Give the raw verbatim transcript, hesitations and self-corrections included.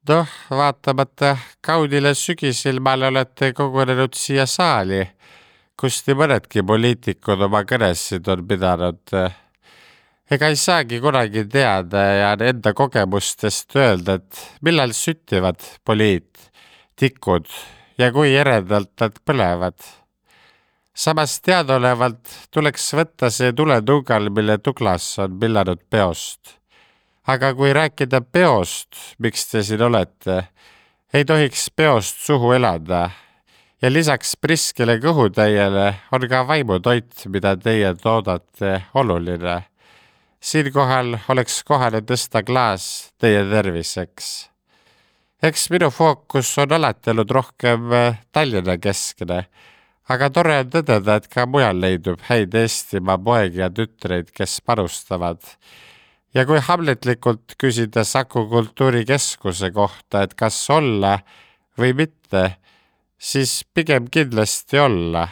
Noh, vaatamata kaunile sügisilmale olete kogunenud siia saali, kus nii mõnedki poliitikud oma kõnesid on pidanud. Ega ei saagi kunagi teada ja enda kogemustest öelda, et millal süttivad poliit, tikud ja kui eredalt nad põlevad. Samas teadaolevalt tuleks võtta see tuletungal, mille Douglas on pillanud peost. Aga kui rääkida peost, miks te siin olete, ei tohiks peost suhu elada. Ja lisaks priskele kõhutäiele on ka vaimutoit, mida teie toodate, oluline. Siinkohal oleks kohane tõsta klaas teie terviseks. Eks minu fookus on alati olnud rohkem Tallinna keskne, aga tore on tõdeda, et ka mujal leidub häid Eestimaa poegi ja tütreid, kes panustavad. Ja kui hamletlikult küsida Saku kultuurikeskuse kohta, et kas olla või mitte, siis pigem kindlasti olla.